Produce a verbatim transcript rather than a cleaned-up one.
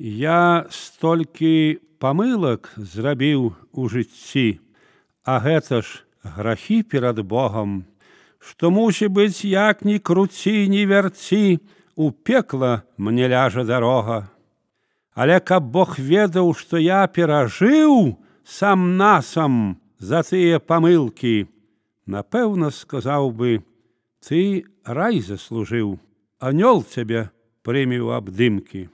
Я столькі памылак зрабіў у жыцці, а гэта ж грахі перад Богам, што, мусі быць, як ні круці, ні вярці, у пекла мне ляжа дарога. Але каб Бог ведаў, што я перажыў сам-насам за тыя памылкі, напэўна, сказаў бы: ты рай заслужыў, анёл цябе прыме ў абдымкі.